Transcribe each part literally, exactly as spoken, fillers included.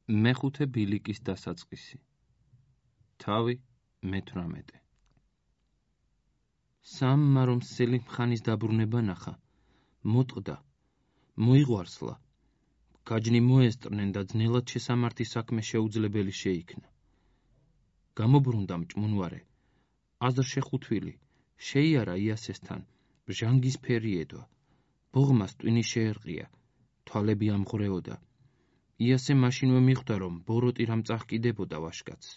მეხუთე ბილიკის დასაწყისი. თავი მეთვრამეტე. სამმა რომ სელიმ ხანის დაბრუნება ნახა, მოტყდა, მოიღვარსლა, გაჯნი მოესტრნენ და ძნელად შესამართი საქმე შეუძლებელი შეიქნა. გამობრუნდა მჭმუნვარე, აზრ შეხუთვილი, შეიარა იასესთან, ჟანგისფერი ედვა, ბოღმას ტვინი შეერყია, თვალები ამღვრეოდა. იასე მაშინვე მიხვდა, რომ ბოროტი რამ წაჰკიდებოდა ვაშკაცს.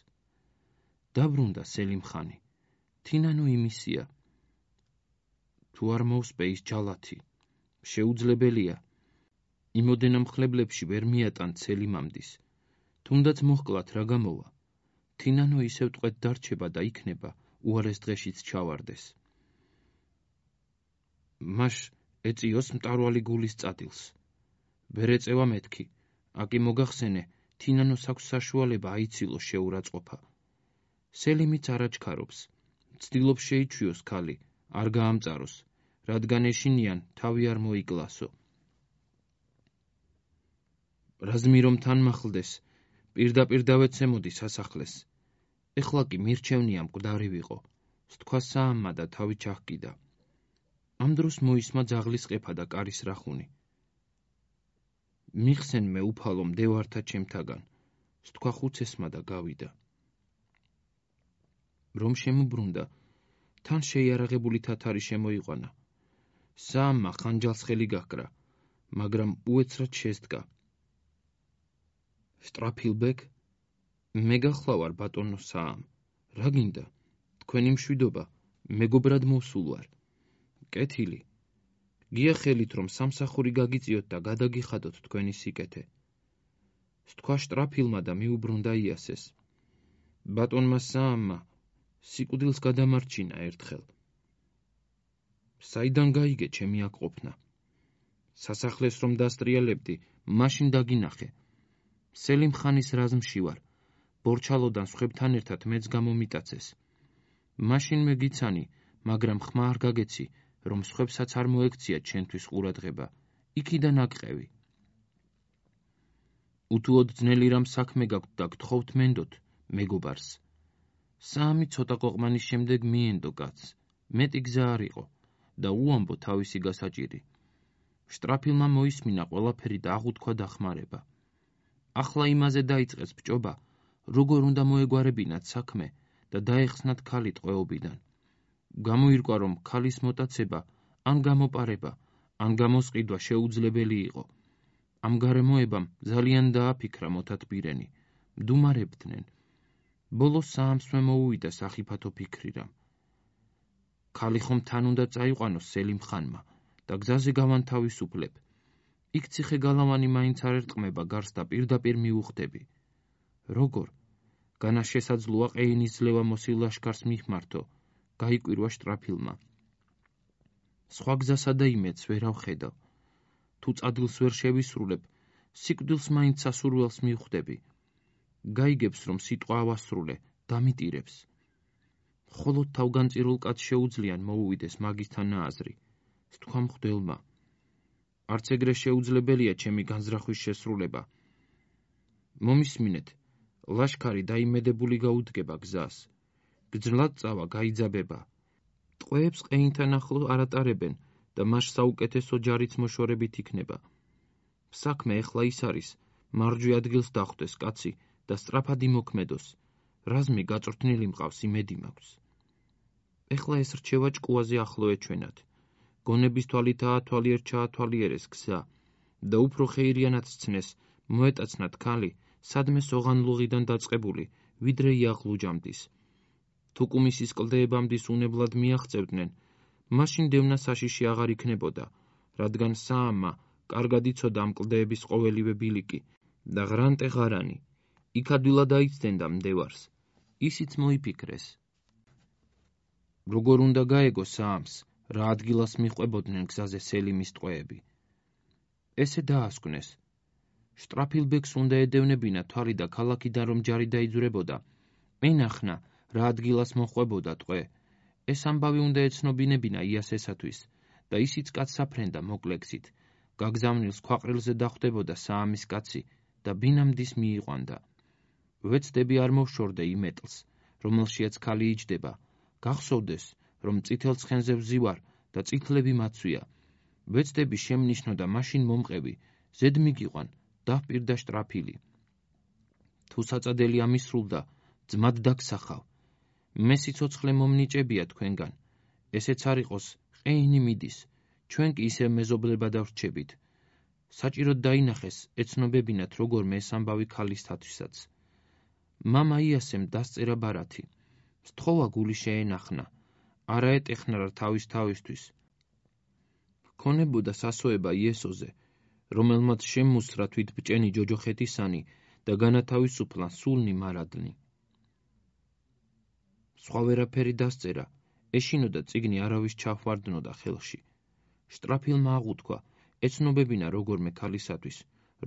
დაბრუნდა სელიმ ხანი, თინანო იმისია. თუ არ მოუსპე ის ჯალათი, შეუძლებელია. იმოდენა მხლებლებში ვერ მიატან სელიმამდის, თუნდაც მოჰკლათ რა გამოვა. თინანო ისევ ტყვედ დარჩება და იქნება უარეს დღეშიც ჩავარდეს. მაშ ეწიოს მტარვალი გულის წადილს. ვერ ეწევა მეთქი, აკი მოგახსენე, თინანოს აქვს საშუალება აიცილო შეურაცხყოფა. სელიმიც არაჩქარობს, ცდილობს შეიჩვიოს ქალი, არ გაამწაროს, რადგან ეშინიან თავი არ მოიკლასო. რაზმი რომ თან მახლდეს, პირდაპირ დავეცემოდი სასახლეს. ეხლა კი მირჩევნია მკვდარი ვიყო, სთქვა საამმა და თავი ჩაჰკიდა. ამ დროს მოისმა ძაღლის ყეფა და კარის რახუნი. მიხსენ მე უფალო მდევართა ჩემთაგან, სთქვა ხუცესმა და გავიდა. რომ შემუბრუნდა, თან შეიარაღებული თათარი შემოიყვანა. საამმა ხანჯალს ხელი გაჰკრა, მაგრამ უეცრად შესდგა. შტრაფილბეკ, მე გახლავარ ბატონო საამ, რა გინდა? თქვენი მშვიდობა, მეგობრად მოსულ ვარ. კეთილი, გიახელით რომ სამსახური გაგიწიოთ და გადაგიხადოთ თქვენი სიკეთე. სთქვა შტრაფილმა და მიუბრუნდა იასეს. ბატონმა საამმა სიკვდილს გადამარჩინა ერთხელ. საიდან გაიგე ჩემი აქ ყოფნა? სასახლეს რომ დასტრიალებდი, მაშინ დაგინახე. სელიმ ხანის რაზმში ვარ, ბორჩალოდან სხვებთან ერთად მეც გამომიტაცეს. მაშინ მე გიცანი, მაგრამ ხმა არ გაგეცი, რომ სხვებსაც არ მოექცია ჩვენთვის ყურადღება, იქიდან აკყევი. უთუოდ ძნელი რამ საქმე გაქვთ და გთხოვთ მენდოთ, მეგობარს. საამი ცოტა ყოყმანის შემდეგ მიენდო კაცს, მეტი გზა არ იყო და უამბო თავისი გასაჭირი. შტრაფილმა მოისმინა ყველაფერი და აღუთქვა დახმარება. ახლა იმაზე დაიწყეს ბჭობა, როგორ უნდა მოეგვარებინათ საქმე და დაეხსნათ ქალი ტყვეობიდან. გამოირკვა, რომ ქალის მოტაცება, ან გამოპარება, ან გამოსყიდვა შეუძლებელი იყო. ამ გარემოებამ ძალიან დააფიქრა მოთათბირენი, მდუმარებდნენ. ბოლოს საამსვე მოუვიდა სახიფათო ფიქრი რამ. ქალი ხომ თან უნდა წაიყვანოს სელიმ ხანმა და გზაზე გავანთავისუფლებ. იქ ციხე გალავანი მაინც არ ერტყმება გარს და პირდაპირ მიუხდები. როგორ? განა შესაძლოა ყეინის ძლევა მოსილ ლაშქარს მიხმართო, გაიკვირვა შტრაფილმა. სხვა გზასა და იმედს ვერ ავხედავ. თუ წადილს ვერ შევისრულებ, სიკვდილს მაინც სასურველს მივხვდები. გაიგებს, რომ სიტყვა ავასრულე, დამიტირებს. მხოლოდ თავგანწირულ კაცს შეუძლიან მოუვიდეს მაგისთან აზრი, სთქვა მღვდელმა. არც ეგრე შეუძლებელია ჩემი განზრახვის შესრულება. მომისმინეთ, ლაშქარი დაიმედებული გაუდგება გზას. გძნლად წავა გაიძაბება. ტყვეებს ყეინთან ახლო არატარებენ და მას საუკეთესო ჯარიც მოშორებით იქნება. საქმე ეხლა ის არის, მარჯვე ადგილს დახვდეს კაცი და სწრაფად იმოქმედოს. რაზმი გაწვრთნილი მყავს, იმედი მაქვს. ეხლა ეს რჩევა ჭკუაზე ახლო ეჩვენათ. გონების თვალითაა თვალიერ ჩაათვალიერეს გზა და უფრო ხეირიანად სცნეს, მოეტაცნათ ქალი, სადმე სოღანლუღიდან დაწყებული, ვიდრე იაღლუჯამდის. თუ კუმისის კლდეებამდის უნებლად მიაღწევდნენ, მაშინ დევნა საშიში აღარ იქნებოდა, რადგან საამმა კარგად იცოდა ამ კლდეების ყოველივე ბილიკი და ღრანტე ღარანი. იქ ადვილად აიცდენდა მდევარს, ისიც მოიფიქრეს. როგორ უნდა გაეგო საამს, რა ადგილას მიჰყვებოდნენ გზაზე სელიმის ტყვეები. ესე დაასკვნეს. შტრაფილბეკს უნდა ედევნებინა თვალი და ქალაქიდან რომ ჯარი დაიძვრებოდა, ენახნა, რა ადგილას მოჰყვებოდა ტყვე. ეს ამბავი უნდა ეცნობინებინა იასესათვის და ისიც კაცს აფრენდა მოკლექსით. გაგზავნილს ქვაყრილზე დახვდებოდა საამის კაცი და ბინამდის მიიყვანდა. ვეცდები არ მოვშორდე იმეტლს, რომელშიაც ქალი იჯდება, გახსოვდეს, რომ წითელ ცხენზე ვზივარ და წითლები მაცვია. ვეცდები შემნიშნო და მაშინ მომყევი, ზედ მიგიყვან, დავპირდა შტრაფილი. თუ საწადელი ამისრულდა, ძმად დაგსახავ. მე სიცოცხლე მომნიჭებია თქვენგან. ესეც არ იყოს, ყეინი მიდის, ჩვენ კი ისევ მეზობლება დავრჩებით. საჭიროდ დაინახეს ეცნობებინათ როგორმე ეს ამბავი ქალისთათვისაც. მამა იასემ დასწერა ბარათი. სთხოვა გული შეენახნა, არა ეტეხნა რა თავის თავისთვის. ქონებოდა სასოება იესოზე, რომელმაც შემუსრა თვითბჭენი ჯოჯოხეთისანი და განათავისუფლა სულნი მარადნი. სხვა ვერაფერი დასწერა, ეშინოდა წიგნი არავის ჩაჰვარდნოდა ხელში. შტრაფილმა აღუთქვა, ეცნობებინა როგორმე ქალისათვის,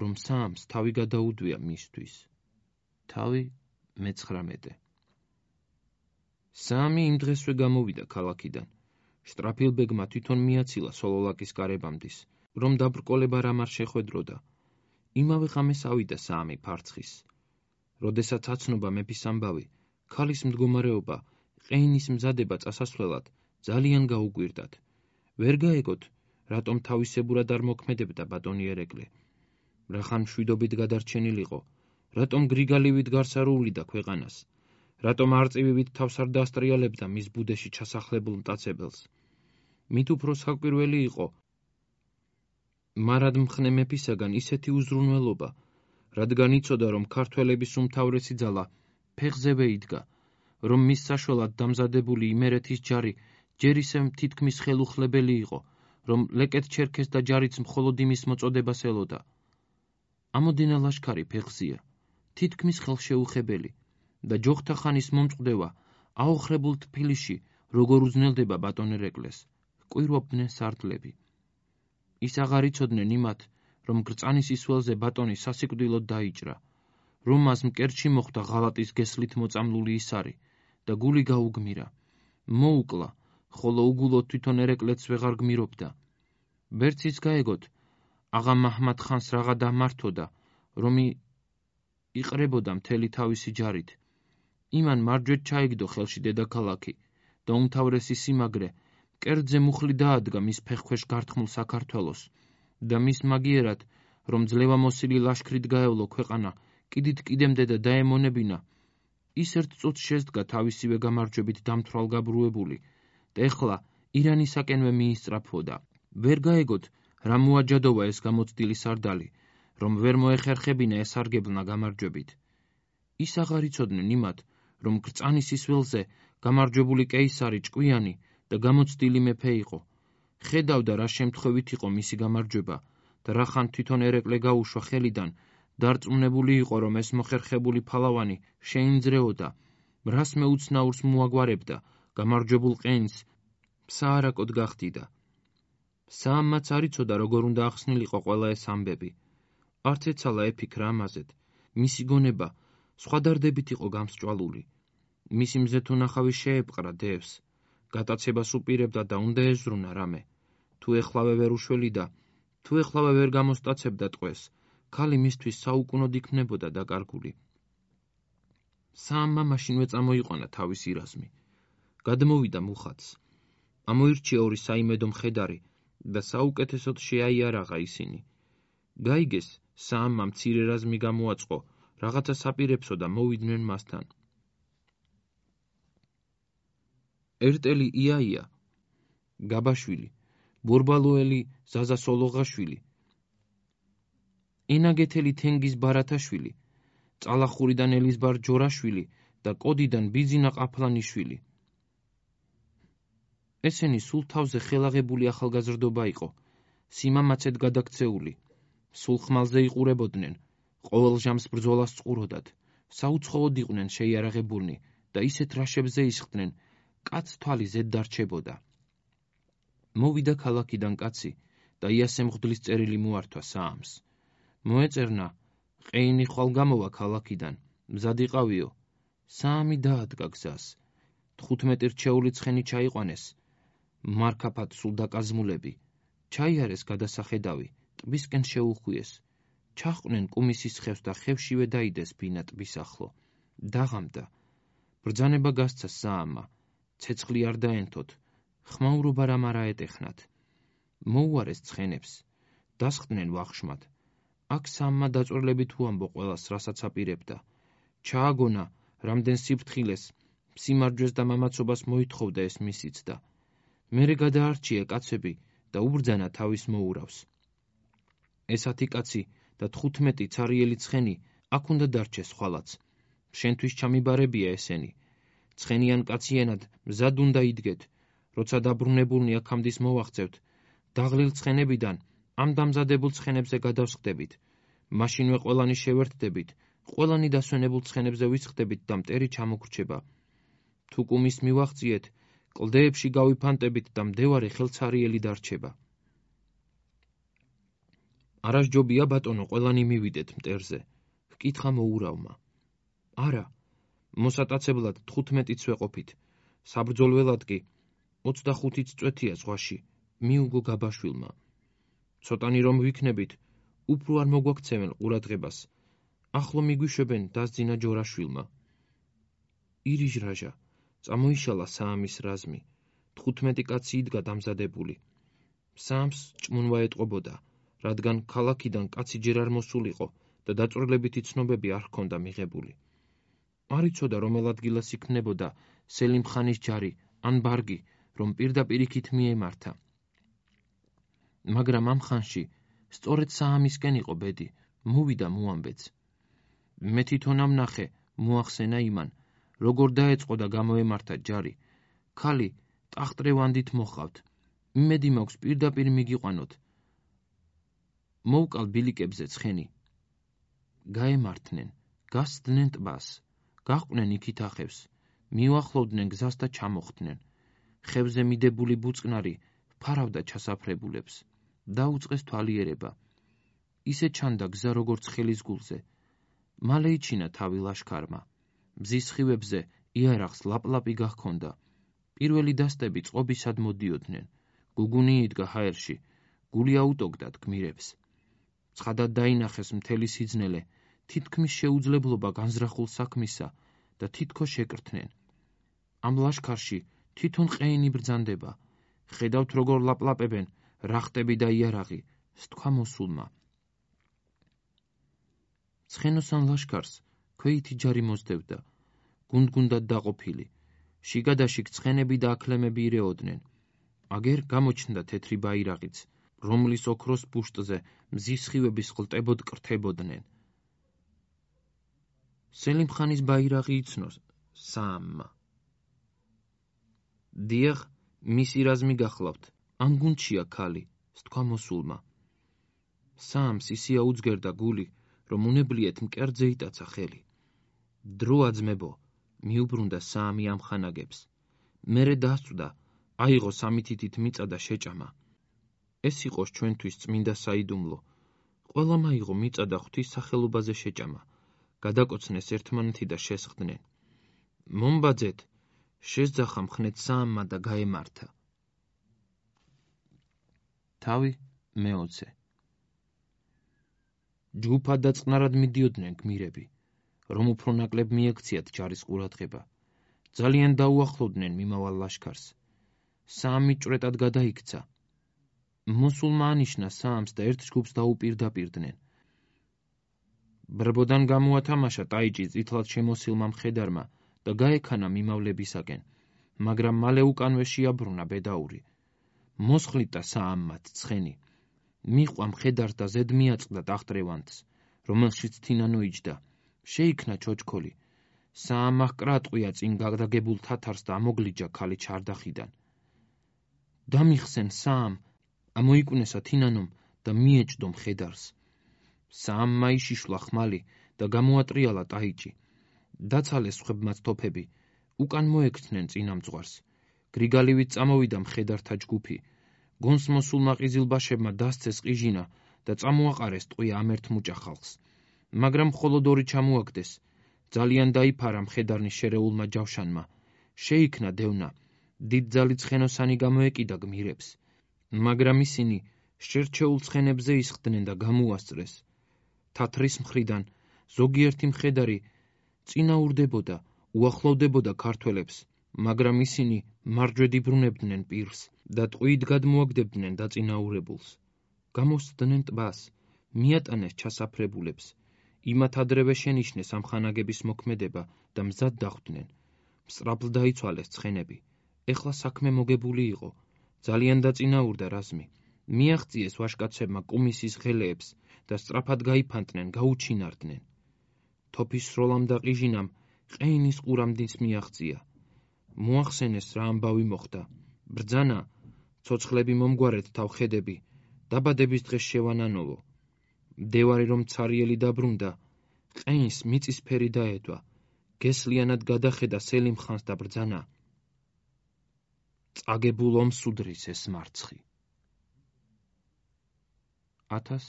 რომ საამს თავი გადაუდვია მისთვის. თავი მეცხრამეტე. საამი იმ დღესვე გამოვიდა ქალაქიდან. შტრაფილბეგმა თვითონ მიაცილა სოლოლაკის გარებამდის, რომ დაბრკოლება რამ არ შეხვედროდა. იმავე ღამეს ავიდა საამი ფარცხის. როდესაც აცნობა მეფის ამბავი, ქალის მდგომარეობა, ყეინის მზადება წასასვლელად ძალიან გაუკვირდათ. ვერ გაეგოთ, რატომ თავისებურად არ მოქმედებდა ბატონი ერეკლე. რახან მშვიდობით გადარჩენილიყო, რატომ გრიგალივით გარსარულიდა ქვეყანას, რატომ არწივივით თავს არ დაასტრიალებდა მის ბუდეში ჩასახლებულ მტაცებელს. მით უფრო საკვირველი იყო მარადმხნე მეფისაგან ისეთი უზრუნველობა, რადგან იცოდა, რომ ქართველების უმთავრესი ძალა ფეხზევე იდგა, რომ მის საშველად დამზადებული იმერეთის ჯარი ჯერ ისევ თითქმის ხელუხლებელი იყო, რომ ლეკეთ ჩერქეს და ჯარიც მხოლოდ იმის მოწოდებას ელოდა. ამოდენა ლაშქარი ფეხზეა, თითქმის ხელშეუხებელი და ჯოხთა ხანის მომწყდება აოხრებულ თბილისში როგორ უძნელდება ბატონ ერეკლეს, კვირვობდნენ სარდლები. ის აღარ იცოდნენ იმათ, რომ გრწანის ისველზე ბატონი სასიკვდილოდ დაიჭრა, რომ მას მკერდში მოხვდა ღალატის გესლით მოწამლული ისარი და გული გაუგმირა. მოუკლა, ხოლო უგულოდ თვითონ ერეკლეც ვეღარ გმირობდა. ვერც გაეგოთ, აღა მაჰმად ხანს რაღა დამართოდა, რომ იყრებოდა მთელი თავისი ჯარით. იმან მარჯვედ ჩაიგდო ხელში დედაქალაქი და უმთავრესი სიმაგრე მკერდზე მუხლი დაადგა მის ფეხქვეშ გართმულ საქართველოს და მის მაგიერად, რომ ძლევამოსილი ლაშქრით გაევლო ქვეყანა, კიდით კიდემდე და დაემონებინა, ის ერთ წუთს შესდგა თავისივე გამარჯვებით დამთვალგაბრუებული და ეხლა ირანისაკენვე მიისწრაფვოდა. ვერ გაეგოთ, რა მოაჯადოვა ეს გამოცდილი სარდალი, რომ ვერ მოეხერხებინა ესარგებლნა გამარჯვებით. ის აღარ იცოდნენ იმათ, რომ გრწანის ისველზე გამარჯვებული კეისარი ჭკვიანი და გამოცდილი მეფე იყო. ხედავდა, რა შემთხვევით იყო მისი გამარჯვება და რახან თვითონ ერეკლე გაუშვა ხელიდან, დარწმუნებული იყო, რომ ეს მოხერხებული ფალავანი შეინძრეოდა, რას მეუცნაურს მოაგვარებდა, გამარჯვებულ ყეინს საარაკოდ გახდიდა. საამმაც არ იცოდა, როგორ უნდა ახსნილიყო ყველა ეს ამბები. არც ეცალა ეფიქრა ამაზედ, მისი გონება სხვა დარდებით იყო გამსჭვალული. მისი მზეთუნახავი შეეპყრა დევს, გატაცებას უპირებდა და უნდა ეზრუნა რამე. თუ ეხლავე ვერ უშველიდა, თუ ეხლავე ვერ გამოსტაცებდა ტყვეს, ქალი მისთვის საუკუნოდ იქნებოდა დაკარგული. საამმა მაშინვე წამოიყვანა თავისი რაზმი. გადმოვიდა მუხათს. ამოირჩია ორი საიმედო მხედარი და საუკეთესოდ შეაიარაღა ისინი. გაიგეს, საამმა მცირე რაზმი გამოაწყო, რაღაცა საპირებსო და მოვიდნენ მასთან. ერთელი იაია, გაბაშვილი, ბორბალოელი ზაზა სოლოღაშვილი, ენაგეთელი თენგიზ ბარათაშვილი, წალახურიდან ელიზბარ ჯორაშვილი და კოდიდან ბიძინა ყაფლანიშვილი. ესენი სულ თავზე ხელაღებული ახალგაზრდობა იყო, სიმამაცედ გადაქცეული, სულ ხმალზე იყურებოდნენ, ყოველ ჟამს ბრძოლას წყუროდათ, საუცხოოდ იყვნენ შეიარაღებულნი და ისეთ რაშებზე ისხდნენ, კაც თვალი ზედ დარჩებოდა. მოვიდა ქალაქიდან კაცი და იასე მღვდლის წერილი მოართვა საამს. მოეწერნა, ყეინი ხვალ გამოვა ქალაქიდან, მზად იყავიო. საამი დაადგა გზას. თხუთმეტი რჩეული ცხენი ჩაიყვანეს, მარქაფად სულ დაკაზმულები, ჩაიარეს გადასახედავი, ტბისკენ შეუხვიეს. ჩაჰყვნენ კუმისის ხევს და ხევშივე დაიდეს ბინა ტბის ახლო. დაღამდა. ბრძანება გასცა საამმა. ცეცხლი არ დაენთოთ. ხმაურობა რამ არა ეტეხნათ. მოუარეს ცხენებს. დასხდნენ ვახშმად. აქ საამმა დაწვრილებით უამბო ყველას, რასაც აპირებდა. ჩააგონა, რამდენ სიფრთხილეს, სიმარჯვეს და მამაცობას მოითხოვდა ეს მისიც და მერე გადაარჩია კაცები და უბრძანა თავის მოურავს. ესათი კაცი და თხუთმეტი ცარიელი ცხენი აქ უნდა დარჩეს ხვალაც. შენთვის ჩამიბარებია ესენი. ცხენიან კაციანად მზად უნდა იდგეთ, როცა დაბრუნებულნი აქამდის მოვაღწევთ, დაღლილ ცხენებიდან ამ დამზადებულ ცხენებზე გადავსხდებით. მაშინვე ყველანი შევერთდებით, ყველანი დასვენებულ ცხენებზე ვისხდებით და მტერი ჩამოგრჩება. თუ კუმის მივაღწიეთ, კლდეებში გავიფანტებით და მდევარი ხელცარიელი დარჩება. არასჯობია ბატონო, ყველანი მივიდეთ მტერზე. ჰკითხა მოურავმა. არა, მოსატაცებლად თხუთმეტიც ვეყოფით. საბრძოლველად კი ოცდახუთიც წვეთია ზღვაში, მიუგო გაბაშვილმა. ცოტანი რომ ვიქნებით, უფრო არ მოგვაქცევენ ყურადღებას. ახლო მიგვიშვებენ დასძინა ჯორაშვილმა. ირიჟრაჟა, წამოიშალა საამის რაზმი. თხუთმეტი კაცი იდგა დამზადებული. საამს ჭმუნვა ეტყობოდა, რადგან ქალაქიდან კაცი ჯერ არ მოსულიყო და დაწვრილებითი ცნობები არ ჰქონდა მიღებული. არ იცოდა რომელ ადგილას იქმნებოდა სელიმ ხანის ჯარი ან ბარგი, რომ პირდაპირ იქით მიემართა. მაგრამ ამ ხანში სწორედ საამისკენ იყო ბედი, მოვიდა მოამბეც. მე თვითონ ამ ნახე, მოახსენა იმან, როგორ დაეწყო და გამოემართა ჯარი. ქალი ტახტრევანდით მოხავთ. იმედი მაქვს პირდაპირ მიგიყვანოთ. მოვკალ ბილიკებზე ცხენი. გაემართნენ, გასცდნენ ტბას, გაჰყვნენ იქით ახევს, მიუახლოვდნენ გზას და ჩამოხდნენ. ხევზე მიდებული ბუწყნარი ფარავდა ჩასაფრებულებს. დაუწყეს თვალიერება. ისე ჩანდა გზა როგორც ხელის გულზე. მალე იჩინა თავი ლაშქარმა. მზის სხივებზე იარაღს ლაპლაპი გაჰქონდა. პირველი დასტები წყობისად მოდიოდნენ. გუგუნი იდგა ჰაერში, გული აუტოგდათ გმირებს. ცხადად დაინახეს მთელი სიძნელე, თითქმის შეუძლებლობა განზრახულ საქმისა და თითქოს შეკრთნენ. ამ ლაშქარში თვითონ ყეინი ბრძანდება. ხედავთ როგორ ლაპლაპებენ რახტები და იარაღი, სთქვა მოსულმა. ცხენოსან ლაშქარს ქვეითი ჯარი მოსდევდა, გუნდ-გუნდად დაყოფილი. შიგადაშიგ ცხენები და აქლემები ირეოდნენ. აგერ გამოჩნდა თეთრი ბაირაღიც, რომლის ოქროს ბუშტზე მზის სხივების ყლტებოდ კრთებოდნენ. სელიმ ხანის ბაირაღი იცნოს საამმა. დიახ, მისი რაზმი გახლავთ, ამ გუნდშია ქალი, სთქვა მოსულმა. საამს ისე აუძგერდა გული, რომ უნებლიეთ მკერდზე იტაცა ხელი. დრო აძმებო, მიუბრუნდა საამი ამ ხანაგებს. მერე დასწვდა, აიღო სამი თითით მიწა და შეჭამა. ეს იყოს ჩვენთვის წმინდა საიდუმლო. ყველამ აიღო მიწა და ღვთის სახელობაზე შეჭამა. გადაკოცნეს ერთმანეთი და შესხდნენ. მომბაძეთ, შესძახა მხნეთ საამმა და გაემართა. თავი მეოცე. ჯგუფად და წყნარად მიდიოდნენ გმირები, რომ უფრო ნაკლებ მიექციათ ჯარის ყურადღება. ძალიან დაუახლოვდნენ მიმავალ ლაშქარს. საამი ჭვრეტად გადაიქცა. მოსულმა ანიშნა საამს და ერთ ჯგუფს დაუპირდაპირდნენ. ბრბოდან გამოათამაშა ტაიჭი წითლად შემოსილმა მხედარმა და გაექანა მიმავლებისაკენ, მაგრამ მალე უკანვე შეაბრუნა ბედაური. მოსხლიტა საამმად ცხენი. მიჰყვა მხედარს და ზედ მიაწყდა ტახტრევანდს, რომელშიც თინანო იჯდა. შეიქმნა ჩოჩქოლი. საამმა ჰკრატყვია წინ გადაგებულ თათარს და ამოგლიჯა ქალი ჩარდახიდან. დამიხსენ საამ, ამოიკვნესა თინანომ და მიეჭდო მხედარს. საამმა იშიშვლა ხმალი და გამოატრიალა ტაიჭი. დაცალეს სხვებმაც თოფები, უკან მოექცნენ წინამძღვარს. გრიგალივით წამოვიდა მხედართა ჯგუფი. გონს მოსულმა ყიზილბაშებმა დასცეს ყიჟინა და წამოაყარეს ტყვია ამ ერთ მუჭა ხალხს. მაგრამ მხოლოდ ორი ჩამოაგდეს. ძალიან დაიფარა მხედარნის შერეულმა ჯავშანმა. შეიქმნა დევნა. დიდძალი ცხენოსანი გამოეკიდა გმირებს. მაგრამ ისინი შერჩეულ ცხენებზე ისხდნენ და გამოუასწრეს. თათრის მხრიდან ზოგიერთი მხედარი წინაურდებოდა, უახლოვდებოდა ქართველებს, მაგრამ ისინი მარჯვედ იბრუნებდნენ პირს და ტყვიით გადმოაგდებდნენ დაწინაურებულს. გამოსცდნენ ტბას, მიატანეს ჩასაფრებულებს, იმათ ადრევე შენიშნეს ამ ხანაგების მოქმედება და მზად დახვდნენ. მსწრაფლ დაიცვალეს ცხენები. ეხლა საქმე მოგებული იყო. ძალიან დაწინაურდა რაზმი. მიაღწიეს ვაჟკაცებმა კუმისის ღელეებს და სწრაფად გაიფანტნენ, გაუჩინარდნენ. თოფის სროლამ და ყიჟინამ ყეინის ყურამდიც მიაღწია. მოახსენეს რა ამბავი მოხდა. ბრძანა, ცოცხლები მომგვარეთ თავხედები, დაბადების დღეს შევანანოვო. მდევარი რომ ცარიელი დაბრუნდა, ყეინს მიწისფერი დაედვა, გესლიანად გადახედა სელიმ ხანს და ბრძანა. წაგებულ ომს უდრის ეს მარცხი. ათას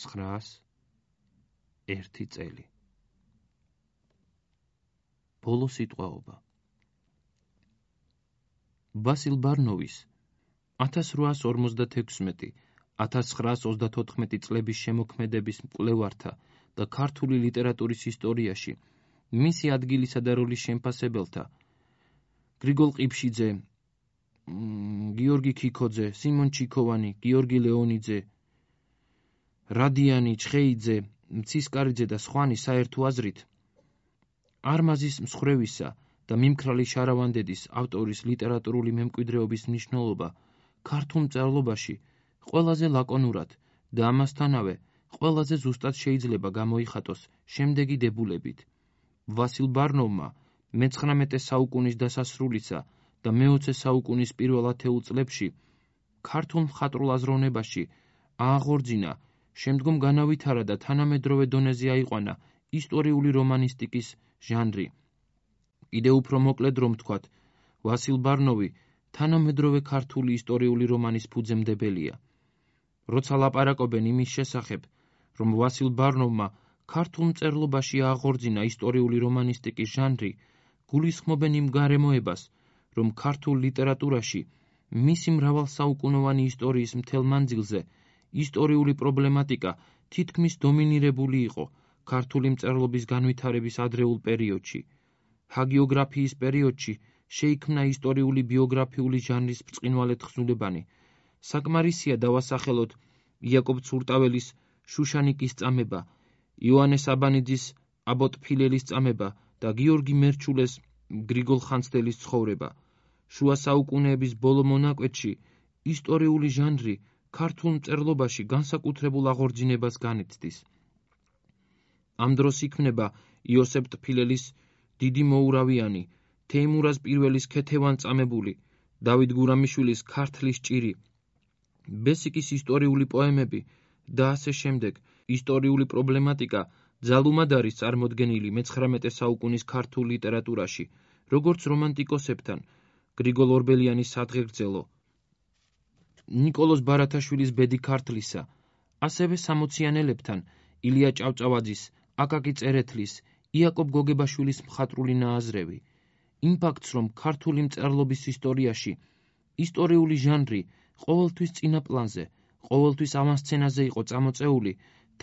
ცხრაას ერთი წელი. ბოლო სიტყვაობა. ვასილ ბარნოვის ათას რვაას ორმოცდათექვსმეტი - ათას ცხრაას ოცდათოთხმეტი წლების შემოქმედების მკვლევართა და ქართული ლიტერატურის ისტორიაში მისი ადგილისა და როლის შემფასებელთა გრიგოლ ყიფშიძე, გიორგი ქიქოძე, სიმონ ჩიქოვანი, გიორგი ლეონიძე, რადიანი, ჩხეიძე, მცისკარიძე და სხვანი საერთო აზრით არმაზის მსხრევისა და მიმქრალი შარავანდედის ავტორის ლიტერატურული მემკვიდრეობის მნიშვნელობა ქართულ მწერლობაში ყველაზე ლაკონურად და ამასთანავე ყველაზე ზუსტად შეიძლება გამოიხატოს შემდეგი დებულებით. ვასილ ბარნოვმა მეცხრამეტე საუკუნის დასასრულისა და მეოცე საუკუნის პირველ ათეულ წლებში ქართულ მხატვრულ აზროვნებაში ააღორძინა, შემდგომ განავითარა და თანამედროვე დონეზე აიყვანა ისტორიული რომანისტიკის ჟანრი. კიდევ უფრო მოკლედ რომ ვთქვათ, ვასილ ბარნოვი თანამედროვე ქართული ისტორიული რომანის ფუძემდებელია. როცა ლაპარაკობენ იმის შესახებ, რომ ვასილ ბარნოვმა ქართულ მწერლობაში ააღორძინა ისტორიული რომანისტიკის ჟანრი, გულისხმობენ იმ გარემოებას, რომ ქართულ ლიტერატურაში მისი მრავალსაუკუნოვანი ისტორიის მთელ მანძილზე ისტორიული პრობლემატიკა თითქმის დომინირებული იყო ქართული მწერლობის განვითარების ადრეულ პერიოდში. ჰაგიოგრაფიის პერიოდში შეიქმნა ისტორიული ბიოგრაფიული ჟანრის ბრწყინვალე თხზულებანი. საკმარისია დავასახელოთ იაკობ ცურტაველის შუშანიკის წამება, იოანეს აბანიძის აბოტ ფილელის წამება და გიორგი მერჩულეს გრიგოლ ხანძთელის ცხოვრება. შუა საუკუნეების ბოლო მონაკვეთში ისტორიული ჟანრი ქართულ მწერლობაში განსაკუთრებულ აღორძინებას განიცდის. ამ დროს იქმნება იოსებ ტფილელის დიდი მოურავიანი, თეიმურაზ პირველის ქეთევან წამებული, დავით გურამიშვილის ქართლის ჭირი, ბესიკის ისტორიული პოემები და ასე შემდეგ. ისტორიული პრობლემატიკა ძალუმად არის წარმოდგენილი მეცხრამეტე საუკუნის ქართულ ლიტერატურაში, როგორც რომანტიკოსებთან გრიგოლ ორბელიანის სადღეგრძელო, ნიკოლოზ ბარათაშვილის ბედი ქართლისა, ასევე სამოციანელებთან ილია ჭავჭავაძის, აკაკი წერეთლის, იაკობ გოგებაშვილის მხატვრული ნააზრევი. იმ ფაქტს, რომ ქართული მწერლობის ისტორიაში ისტორიული ჟანრი ყოველთვის წინა პლანზე, ყოველთვის ავანსცენაზე იყო წამოწეული,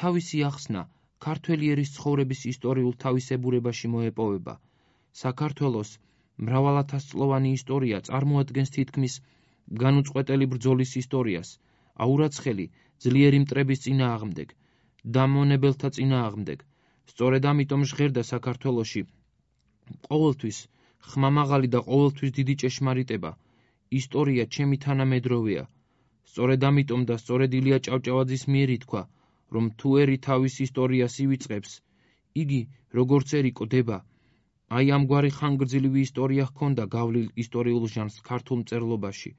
თავისი ახსნა ქართველი ერის ცხოვრების ისტორიულ თავისებურებაში მოეპოვება. საქართველოს მრავალათასწლოვანი ისტორია წარმოადგენს თითქმის განუწყვეტელი ბრძოლის ისტორიას, აურაცხელი ძლიერი მტრების წინააღმდეგ, დამონებელთა წინააღმდეგ. სწორედ ამიტომ ჟღერდა საქართველოში ყოველთვის ხმამაღალი და ყოველთვის დიდი ჭეშმარიტება. ისტორია ჩემი თანამედროვეა. სწორედ ამიტომ და სწორედ ილია ჭავჭავაძის მიერ ითქვა, რომ თუ ერი თავის ისტორიას ივიწყებს, იგი როგორც ერი კვდება. აი ამგვარი ხანგრძლივი ისტორია ჰქონდა გავლილ ისტორიულ ჟანრს ქართულ მწერლობაში.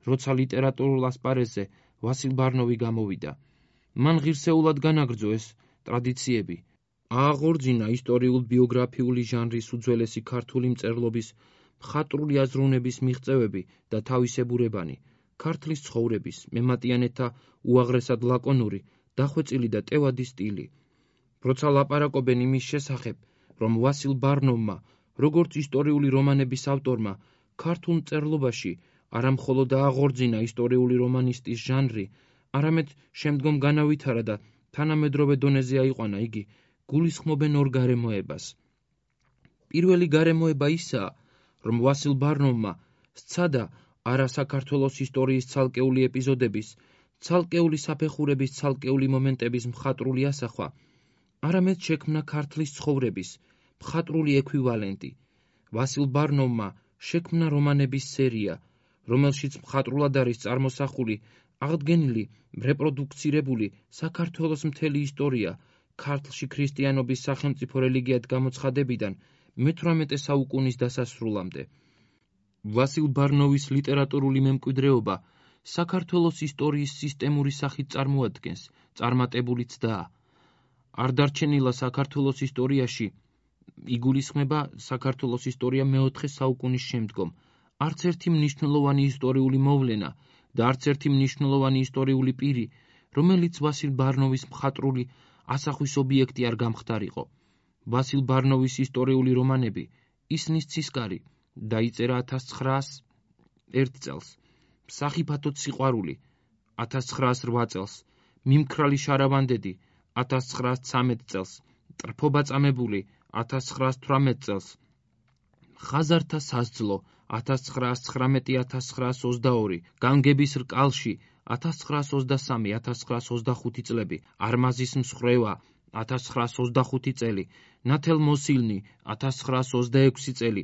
როცა ლიტერატურულ ასპარეზზე ვასილ ბარნოვი გამოვიდა, მან ღირსეულად განაგრძო ეს ტრადიციები. ააღორძინა ისტორიულ ბიოგრაფიული ჟანრის უძველესი ქართული მწერლობის მხატვრული აზროვნების მიღწევები და თავისებურებანი, ქართლის ცხოვრების, მემატიანეთა უაღრესად ლაკონური, დახვეწილი და ტევადი სტილი. როცა ლაპარაკობენ იმის შესახებ, რომ ვასილ ბარნოვმა, როგორც ისტორიული რომანების ავტორმა, ქართულ მწერლობაში არა მხოლოდ ააღორძინა ისტორიული რომანისტის ჟანრი, არამედ შემდგომ განავითარა და თანამედროვე დონეზე აიყვანა იგი გულისხმობენ ორ გარემოებას. პირველი გარემოება ისაა, რომ ვასილ ბარნოვმა სცადა არა საქართველოს ისტორიის ცალკეული ეპიზოდების, ცალკეული საფეხურების ცალკეული მომენტების მხატვრული ასახვა, არამედ შექმნა ქართლის ცხოვრების მხატვრული ექვივალენტი. ვასილ ბარნოვმა შექმნა რომანების სერია, რომელშიც მხატვრულად არის წარმოსახული აღდგენილი, რეპროდუქცირებული საქართველოს მთელი ისტორია ქართლში ქრისტიანობის სახელმწიფო რელიგიად გამოცხადებიდან მეთვრამეტე საუკუნის დასასრულამდე. ვასილ ბარნოვის ლიტერატურული მემკვიდრეობა საქართველოს ისტორიის სისტემური სახით წარმოადგენს წარმატებული ცდაა. არ დარჩენილა საქართველოს ისტორიაში იგულისხმება საქართველოს ისტორია მეოთხე საუკუნის შემდგომ. არც ერთი მნიშვნელოვანი ისტორიული მოვლენა და არც ერთი მნიშვნელოვანი ისტორიული პირი, რომელიც ვასილ ბარნოვის მხატვრული ასახვის ობიექტი არ გამხდარიყო. ვასილ ბარნოვის ისტორიული რომანები ისნის ცისკარი დაიწერა ათას ცხრაასი ერთ წელს, სახიფათო სიყვარული ათას ცხრაასი რვა წელს, მიმქრალი შარავანდედი ათას ცხრაასი ცამეტ წელს, ტრფობა წამებული ათას ცხრაასი თვრამეტ წელს, ხაზართა სასძლო ათას ცხრაასი ცხრამეტი ათას ცხრაასი ოცდაორი, განგების რკალში ათას ცხრაასი ოცდასამი ათას ცხრაასი ოცდახუთი წლები, არმაზის მსხვერვა ათას ცხრაასი ოცდახუთი წელი, ნათელმოსილნი ათას ცხრაასი ოცდაექვსი წელი,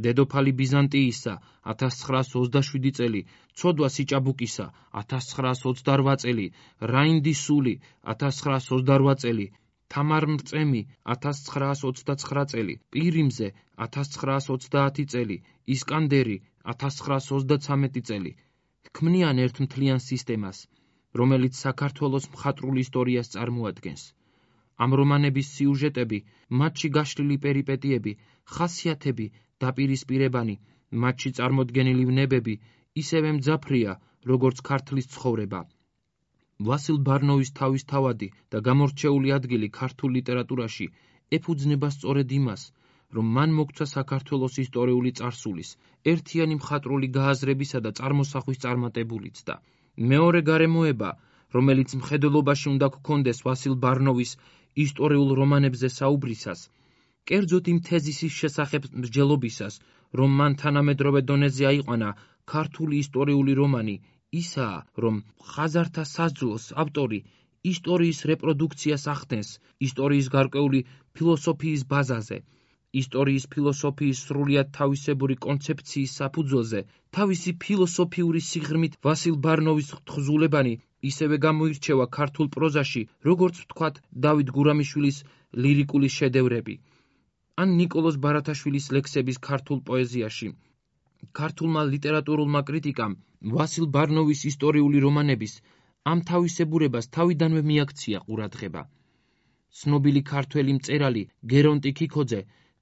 დედოფალი ბიზანტიისა ათას ცხრაასი ოცდაშვიდი წელი, ცოდვა სიჭაბუკისა ათას ცხრაასი ოცდარვა წელი, რაინდის სული ათას ცხრაასი ოცდარვა წელი, თამარმრწემი ათას ცხრაასი ოცდაცხრა წელი, პირიმზე ათას ცხრაასი ოცდაათი წელი, ისკანდერი ათას ცხრაასი ოცდაცამეტი წელი. ქმნიან ერთ მთლიან სისტემას, რომელიც საქართველოს მხატვრულ ისტორიას წარმოადგენს. ამ რომანების სიუჟეტები, მათში გაშლილი პერიპეტიები, ხასიათები, დაპირისპირებანი, მათში წარმოდგენილი ვნებები ისევე მძაფრია, როგორც ქართლის ცხოვრება. ვასილ ბარნოვის თავისთავადი და გამორჩეული ადგილი ქართულ ლიტერატურაში ეფუძნება სწორედ იმას, რომ მან მოგცა საქართველოს ისტორიული წარსულის ერთიანი მხატვრული გააზრებისა და წარმოსახვის წარმატებული ცდა. მეორე გარემოება, რომელიც მხედველობაში უნდა გქონდეს ვასილ ბარნოვის ისტორიულ რომანებზე საუბრისას, კერძოდ იმ თეზისის შესახებ მსჯელობისას, რომ მან თანამედროვე დონეზე აიყვანა ქართული ისტორიული რომანი, ისაა, რომ ხაზართა სასძლოს ავტორი ისტორიის რეპროდუქციას ახდენს ისტორიის გარკვეული ფილოსოფიის ბაზაზე, ისტორიის ფილოსოფიის სრულიად თავისებური კონცეფციის საფუძველზე, თავისი ფილოსოფიური სიღრმით ვასილ ბარნოვის თხზულებანი ისევე გამოირჩევა ქართულ პროზაში, როგორც ვთქვათ დავით გურამიშვილის ლირიკული შედევრები, ან ნიკოლოზ ბარათაშვილის ლექსების ქართულ პოეზიაში. ქართულმა ლიტერატურულმა კრიტიკამ ვასილ ბარნოვის ისტორიული რომანების ამ თავისებურებას თავიდანვე მიაქცია ყურადღება. ცნობილი ქართველი მწერალი გერონტი ქიქოძე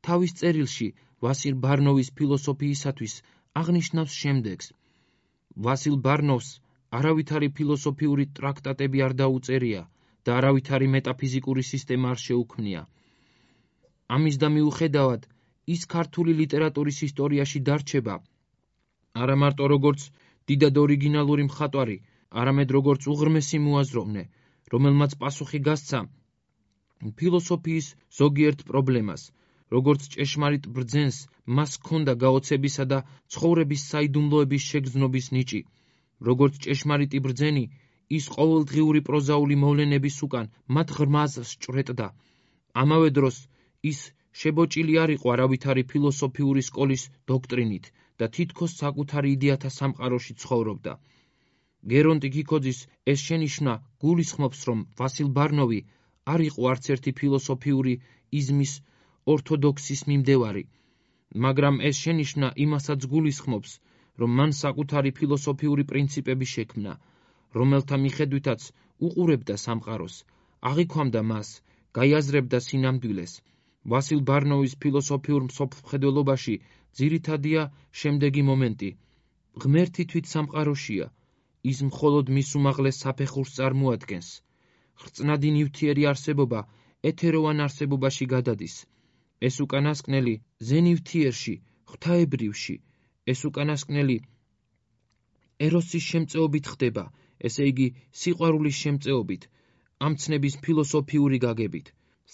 თავის წერილში ვასილ ბარნოვის ფილოსოფიისათვის აღნიშნავს შემდეგს: ვასილ ბარნოვს არავითარი ფილოსოფიური ტრაქტატები არ დაუწერია და არავითარი მეტაფიზიკური სისტემა არ შეუქმნია. ამის და მიუხედავად ის ქართული ლიტერატურის ისტორიაში დარჩება არა მარტო როგორც დიდად ორიგინალური მხატვარი, არამედ როგორც უღრმესი მოაზროვნე, რომელმაც პასუხი გასცა ფილოსოფიის ზოგიერთ პრობლემას, როგორც ჭეშმარიტ ბრძენს მას ჰქონდა გაოცებისა და ცხოვრების საიდუმლოების შეგრძნობის ნიჭი, როგორც ჭეშმარიტი ბრძენი, ის ყოველდღიური პროზაული მოვლენების უკან მათ ღრმას სჭვრეტდა. ამავე დროს ის შებოჭილი არ იყო არავითარი ფილოსოფიური სკოლის დოქტრინით და თითქოს საკუთარი იდეათა სამყაროში ცხოვრობდა. გერონტი ქიქოძის ეს შენიშვნა გულისხმობს, რომ ვასილ ბარნოვი არ იყო არც ერთი ფილოსოფიური იზმის ორთოდოქსის მიმდევარი, მაგრამ ეს შენიშვნა იმასაც გულისხმობს, რომ მან საკუთარი ფილოსოფიური პრინციპები შექმნა, რომელთა მიხედვითაც უყურებდა სამყაროს, აღიქვამდა მას, გაიაზრებდა სინამდვილეს. ვასილ ბარნოვის ფილოსოფიურ მსოფლმხედველობაში ძირითადია შემდეგი მომენტი: ღმერთი თვით სამყაროშია, ის მხოლოდ მის უმაღლეს საფეხურს წარმოადგენს. ხრწნადი ნივთიერი არსებობა ეთეროვან არსებობაში გადადის. ეს უკანასკნელი ზენივთიერში, ღვთაებრივში, ეს უკანასკნელი ეროსის შემწეობით ხდება, ესე იგი სიყვარულის შემწეობით, ამ ცნების ფილოსოფიური გაგებით.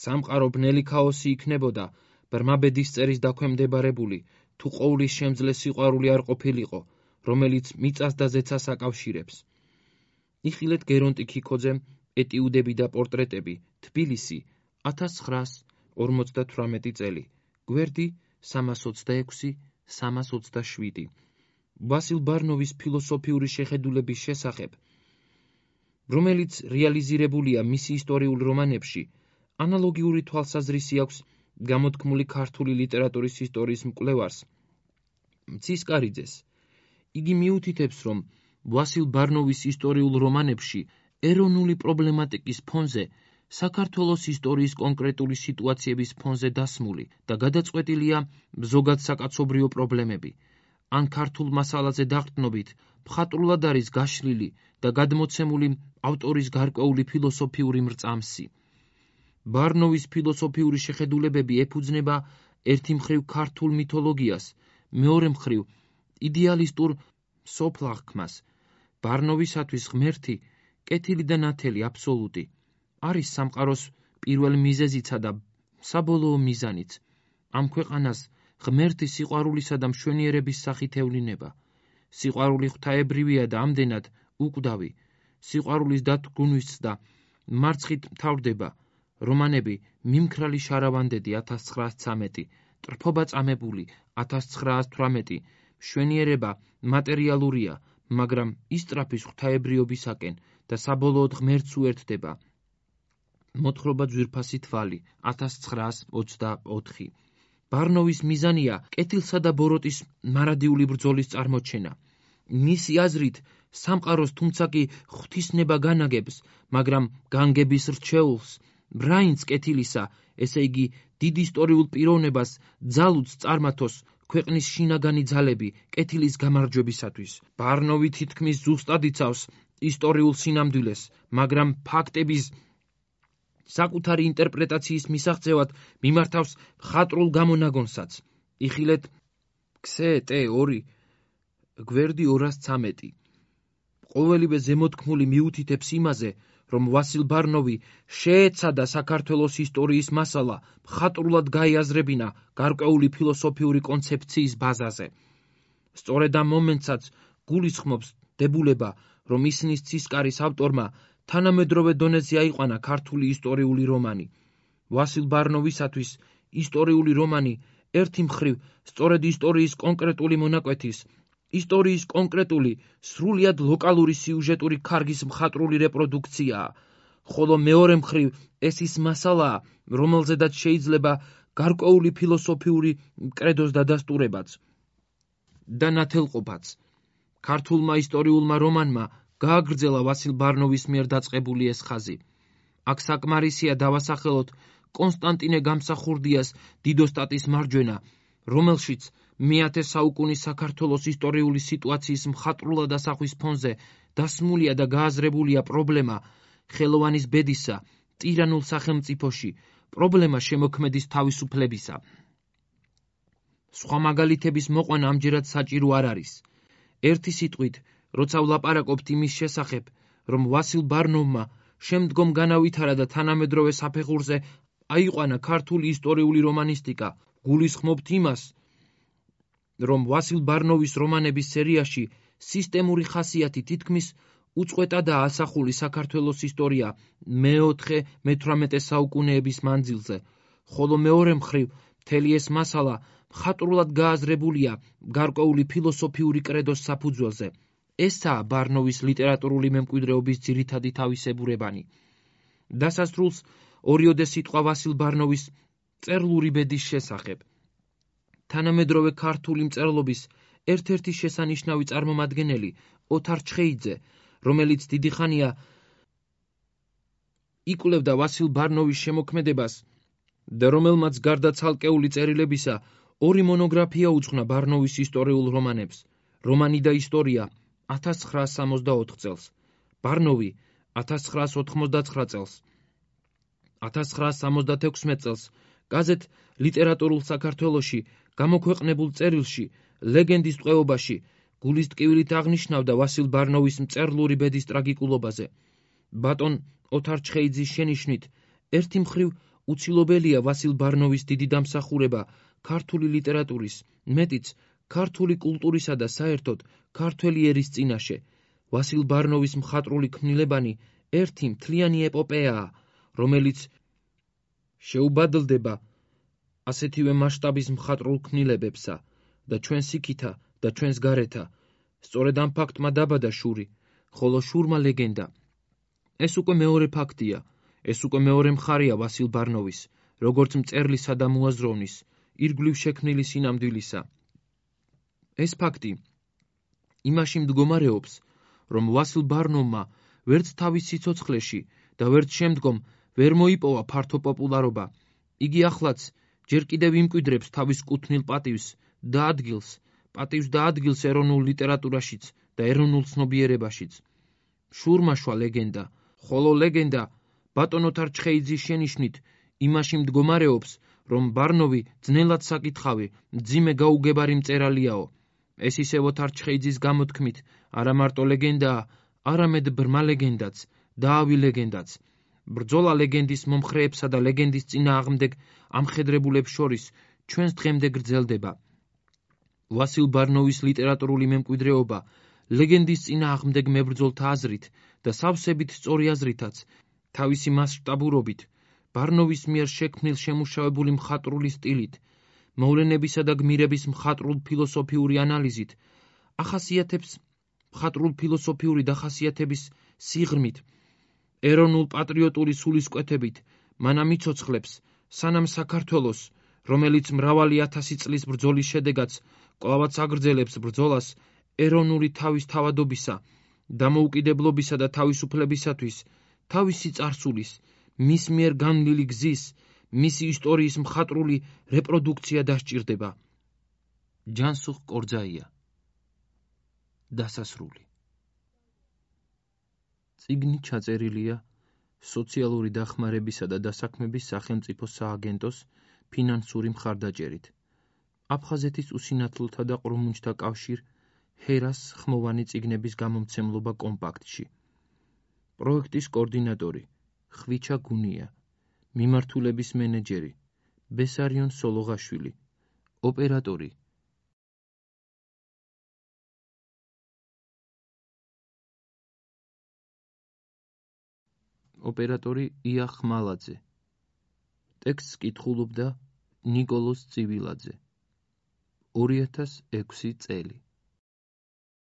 სამყარო ბნელი ქაოსი იქნებოდა, ბრმა ბედის წერის დაქვემდებარებული, თუ ყოვლის შემძლე სიყვარული არ ყოფილიყო, რომელიც მიწას და ზეცას აკავშირებს. იხილეთ გერონტი ქიქოძემ ეტიუდები და პორტრეტები, თბილისი, ათას ცხრაას ორმოცდათვრამეტი წელი, გვერდი სამას ოცდაექვსი სამას ოცდაშვიდი. ვასილ ბარნოვის ფილოსოფიური შეხედულების შესახებ, რომელიც რეალიზირებულია მისი ისტორიულ რომანებში, ანალოგიური თვალსაზრისი აქვს გამოთქმული ქართული ლიტერატურის ისტორიის მკვლევარს მცისკარიძეს. იგი მიუთითებს, რომ ვასილ ბარნოვის ისტორიულ რომანებში ეროვნული პრობლემატიკის ფონზე საქართველოს ისტორიის კონკრეტული სიტუაციების ფონზე დასმული და გადაწყვეტილია ზოგად საკაცობრიო პრობლემები. ან ქართულ მასალაზე დაყრდნობით მხატვრულად არის გაშლილი და გადმოცემული ავტორის გარკვეული ფილოსოფიური მრწამსი. ბარნოვის ფილოსოფიური შეხედულებები ეფუძნება ერთი მხრივ ქართულ მითოლოგიას, მეორე მხრივ იდეალისტურ სოფლაღქმას. ბარნოვისათვის ღმერთი, კეთილი და ნათელი აბსოლუტი, არის სამყაროს პირველ მიზეზიცა და საბოლოო მიზანიც. ამ ქვეყანას ღმერთი სიყვარულისა და მშვენიერების სახით ევლინება. სიყვარული ღვთაებრივია და ამდენად უკვდავი. სიყვარულის დათრგუნვის და მარცხით მთავრდება. რომანები მიმქრალი შარავანდედი ათას ცხრაას ცამეტი, ტრფობა წამებული ათას ცხრაას თვრამეტი, მშვენიერება მატერიალურია, მაგრამ ისწრაფის ღვთაებრიობისაკენ და საბოლოოდ ღმერთს უერთდება. მოთხრობა ძვირფასი თვალი ათას ცხრაას ოცდაოთხი. ბარნოვის მიზანია კეთილსა და ბოროტის მარადიული ბრძოლის წარმოჩენა. მისი აზრით სამყაროს თუმცა კი ღვთისნება განაგებს, მაგრამ განგების რჩეულს, ბრაინც კეთილისა, ესე იგი დიდ ისტორიულ პიროვნებას ძალუც წარმართოს ქვეყნის შინაგანი ძალები კეთილის გამარჯვებისათვის. ბარნოვი თითქმის ზუსტად იცავს ისტორიულ სინამდვილეს, მაგრამ ფაქტების საკუთარი ინტერპრეტაციის მისაღწევად მიმართავს მხატვრულ გამონაგონსაც. იხილეთ ქსე ტე ორი, გვერდი ორას ცამეტი. ყოველივე ზემოთქმული მიუთითებს იმაზე, რომ ვასილ ბარნოვი შეეცადა საქართველოს ისტორიის მასალა მხატვრულად გაიაზრებინა გარკვეული ფილოსოფიური კონცეფციის ბაზაზე. სწორედ ამ მომენტსაც გულისხმობს დებულება, რომ ისნის ცისკარის ავტორმა თანამედროვე დონეზე აიყვანა ქართული ისტორიული რომანი. ვასილ ბარნოვისათვის ისტორიული რომანი ერთი მხრივ სწორედ ისტორიის კონკრეტული მონაკვეთის, ისტორიის კონკრეტული, სრულიად ლოკალური სიუჟეტური ქარგის მხატვრული რეპროდუქციაა, ხოლო მეორე მხრივ ეს ის მასალაა, რომელზედაც შეიძლება გარკვეული ფილოსოფიური კრედოს დადასტურებაც და ნათელყოფაც. ქართულმა ისტორიულმა რომანმა გააგრძელა ვასილ ბარნოვის მიერ დაწყებული ეს ხაზი. აქ საკმარისია დავასახელოთ კონსტანტინე გამსახურდიას დიდოსტატის მარჯვენა, რომელშიც მეათე საუკუნის საქართველოს ისტორიული სიტუაციის მხატვრულად ასახვის ფონზე დასმულია და გააზრებულია პრობლემა ხელოვანის ბედისა ტირანულ სახელმწიფოში, პრობლემა შემოქმედის თავისუფლებისა. სხვა მაგალითების მოყვანა ამჯერად საჭირო არ არის. ერთი სიტყვით, როცა ვლაპარაკობთ იმის შესახებ, რომ ვასილ ბარნოვმა შემდგომ განავითარა და თანამედროვე საფეხურზე აიყვანა ქართული ისტორიული რომანისტიკა, გულისხმობთ იმას, რომ ვასილ ბარნოვის რომანების სერიაში სისტემური ხასიათი თითქმის უწყვეტადაა ასახული საქართველოს ისტორია მეოთხე მეთვრამეტე საუკუნეების მანძილზე, ხოლო მეორე მხრივ მთელი ეს მასალა მხატვრულად გააზრებულია გარკვეული ფილოსოფიური კრედოს საფუძველზე. ესაა ბარნოვის ლიტერატურული მემკვიდრეობის ძირითადი თავისებურებანი. დასასრულს ორიოდე სიტყვა ვასილ ბარნოვის წერლური ბედის შესახებ. თანამედროვე ქართული მწერლობის ერთ-ერთი შესანიშნავი წარმომადგენელი ოთარ ჩხეიძე, რომელიც დიდი ხანია იკვლევდა ვასილ ბარნოვის შემოქმედებას და რომელმაც გარდა ცალკეული წერილებისა ორი მონოგრაფია უძღვნა ბარნოვის ისტორიულ რომანებს, რომანი და ისტორია ათას ცხრაას სამოცდაოთხ წელს, ბარნოვი ათას ცხრაას ოთხმოცდაცხრა წელს, ათას ცხრაას სამოცდათექვსმეტ წელს გაზეთ ლიტერატურულ საქართველოში გამოქვეყნებულ წერილში ლეგენდის ტყვეობაში გულის ტკივილით აღნიშნავდა ვასილ ბარნოვის მწერლური ბედის ტრაგიკულობაზე. ბატონ ოთარ ჩხეიძის შენიშვნით, ერთი მხრივ უცილობელია ვასილ ბარნოვის დიდი დამსახურება ქართული ლიტერატურის, მეტიც ქართული კულტურისა და საერთოდ ქართველი ერის წინაშე. ვასილ ბარნოვის მხატვრული ქმნილებანი ერთი მთლიანი ეპოპეაა, რომელიც შეუბადლდება ასეთივე მასშტაბის მხატვრულ ქმნილებებსა და ჩვენს იქითა და ჩვენს გარეთა. სწორედ ამ ფაქტმა დაბადა შური, ხოლო შურმა ლეგენდა. ეს უკვე მეორე ფაქტია, ეს უკვე მეორე მხარია ვასილ ბარნოვის, როგორც მწერლისა და მოაზროვნის, ირგვლივ შექმნილი სინამდვილისა. ეს ფაქტი იმაში მდგომარეობს, რომ ვასილ ბარნოვმა ვერც თავის სიცოცხლეში და ვერც შემდგომ ვერ მოიპოვა ფართო პოპულარობა. იგი ახლაც ჯერ კიდევ იმკვიდრებს თავის კუთვნილ პატივს და ადგილს, პატივს და ადგილს ეროვნულ ლიტერატურაშიც და ეროვნულ ცნობიერებაშიც. შურმაშვა ლეგენდა, ხოლო ლეგენდა ბატონ ოთარ ჩხეიძის შენიშვნით იმაში მდგომარეობს, რომ ბარნოვი ძნელად საკითხავი, მძიმე გაუგებარი მწერალიაო. ეს ისევ ოთარ ჩხეიძის გამოთქმით არა მარტო ლეგენდაა, არამედ ბრმა ლეგენდაც, დაავი ლეგენდაც. ბრძოლა ლეგენდის მომხრეებსა და ლეგენდის წინააღმდეგ ამხედრებულებს შორის ჩვენს დღემდე გრძელდება. ვასილ ბარნოვის ლიტერატურული მემკვიდრეობა ლეგენდის წინააღმდეგ მებრძოლთა აზრით და სავსებით სწორი აზრითაც, თავისი მასშტაბურობით, ბარნოვის მიერ შექმნილ შემუშავებული მხატვრული სტილით, მოვლენებისა და გმირების მხატვრულ ფილოსოფიური ანალიზით, ახასიათებს მხატვრულ ფილოსოფიური დახასიათების სიღრმით, ეროვნულ პატრიოტული სულისკვეთებით, მანამ იცოცხლებს, სანამ საქართველოს, რომელიც მრავალი ათასი წლის ბრძოლის შედეგად კვლავაც აგრძელებს ბრძოლას ეროვნული თავისთავადობისა, დამოუკიდებლობისა და თავისუფლებისათვის, თავისი წარსულის, მის მიერ განვლილი გზის, მისი ისტორიის მხატვრული რეპროდუქცია დასჭირდება. ჯანსუღ კორძაია. დასასრული. წიგნი ჩაწერილია სოციალური დახმარებისა და დასაქმების სახელმწიფო სააგენტოს ფინანსური მხარდაჭერით. აფხაზეთის უსინათლოთა და ყრუმუნჯთა კავშირ ჰერას ხმოვანი წიგნების გამომცემლობა კომპაქტში. პროექტის კოორდინატორი ხვიჩა გუნია, მიმართულების მენეჯერი ბესარიონ სოლოღაშვილი, ოპერატორი ოპერატორი ია ხმალაძე. ტექსტს კითხულობდა ნიკოლოზ წივილაძე. ორი ათას ექვსი წელი.